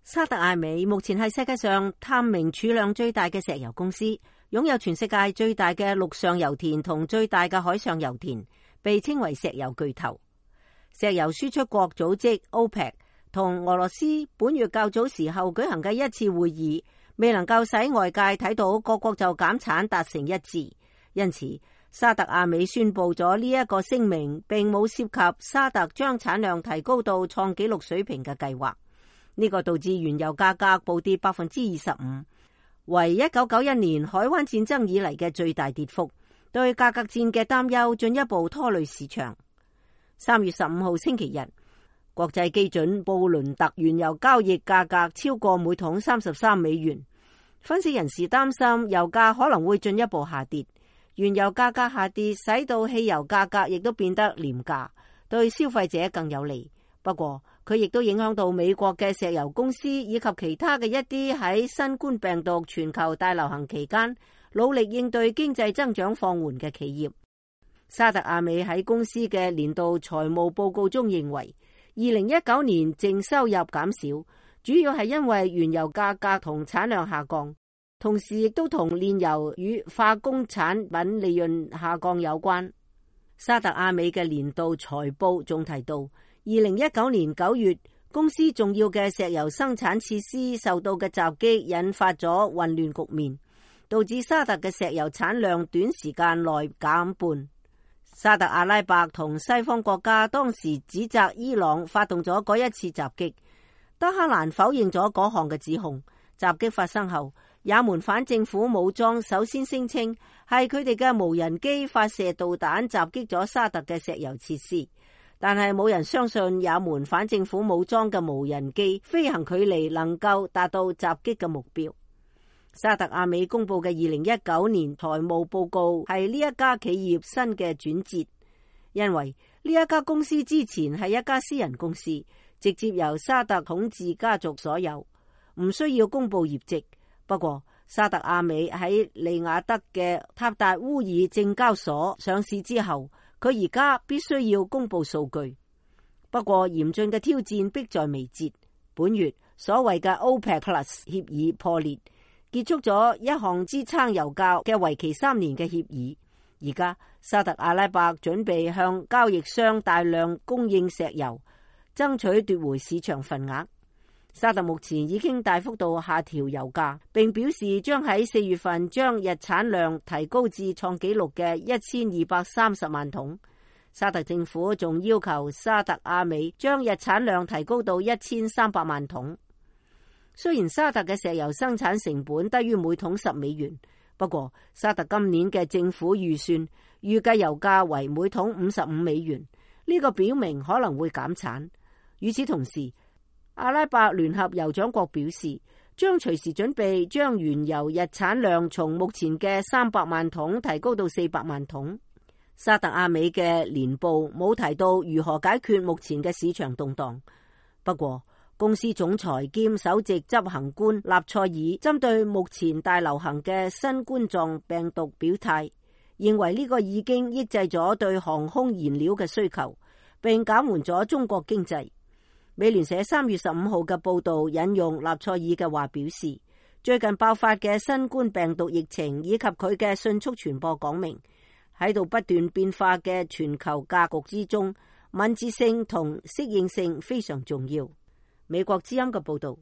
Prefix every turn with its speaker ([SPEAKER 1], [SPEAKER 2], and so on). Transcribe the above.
[SPEAKER 1] 沙特阿美目前係世界上探明儲量最大嘅石油公司，擁有全世界最大嘅陸上油田同最大嘅海上油田，被稱為石油巨頭。石油輸出國組織 OPEC 同俄羅斯本月較早時候舉行嘅一次會議，未能夠使外界睇到各國就減產達成一致，因此沙特阿美宣布咗呢一個聲明，並冇涉及沙特將產量提高到創紀錄水平嘅計劃。呢個導致原油價格暴跌25%，為1991年海灣戰爭以嚟嘅最大跌幅，對價格戰嘅擔憂進一步拖累市場。3月15號星期日，國際基準布倫特原油交易價格超過每桶33美元，分析人士擔心油價可能會進一步下跌。原油價格下跌，使到汽油價格亦都變得廉價，對消費者更有利。不過，佢亦都影響到美國嘅石油公司以及其他嘅一啲喺新冠病毒全球大流行期間努力應對經濟增長放緩嘅企業。沙特阿美喺公司嘅年度財務報告中認為，2019年淨收入減少，主要係因為原油價格同產量下降，同時亦都同煉油與化工產品利潤下降有關。沙特阿美嘅年度財報仲提到，2019年9月，公司重要嘅石油生產設施受到嘅襲擊，引發咗混亂局面，導致沙特嘅石油產量短時間內減半。沙特阿拉伯同西方國家當時指責伊朗發動咗嗰一次襲擊，德黑蘭否認咗嗰項嘅指控。襲擊發生後，也門反政府武裝首先聲稱係佢哋嘅無人機發射導彈襲擊咗沙特嘅石油設施。但係冇人相信也門反政府武裝嘅無人機飛行距離能夠達到襲擊嘅目標。沙特阿美公布嘅2019年財務報告係呢一家企業新嘅轉折，因為呢一家公司之前係一家私人公司，直接由沙特統治家族所有，唔需要公布業績。不過沙特阿美喺利雅得嘅塔達烏爾證交所上市之後，佢而家必須要公布數據。不過嚴峻嘅挑戰迫在眉睫。本月所謂嘅 OPEC Plus 協議破裂，結束咗一項支撐油價嘅為期3年嘅協議。而家沙特阿拉伯準備向交易商大量供應石油，爭取奪回市場份額。沙特目前已經大幅度下調油價，並表示將喺4月份將日產量提高至創紀錄嘅1230萬桶。沙特政府仲要求沙特阿美將日產量提高到1300萬桶。雖然沙特嘅石油生產成本低於每桶10美元，不過沙特今年嘅政府預算預計油價為每桶55美元，呢個表明可能會減產。與此同時，阿拉伯聯合酋長國表示，將隨時準備將原油日產量從目前嘅300萬桶提高到400萬桶。沙特阿美嘅年報冇提到如何解決目前嘅市場動盪。不過，公司總裁兼首席執行官納賽爾針對目前大流行嘅新冠狀病毒表態，認為呢個已經抑制咗對航空燃料嘅需求，並減緩咗中國經濟。美聯社3月15號嘅報道引用納賽爾嘅話表示，最近爆發嘅新冠病毒疫情以及佢嘅迅速傳播講明，喺度不斷變化嘅全球格局之中，敏捷性同適應性非常重要。美國之音嘅報道。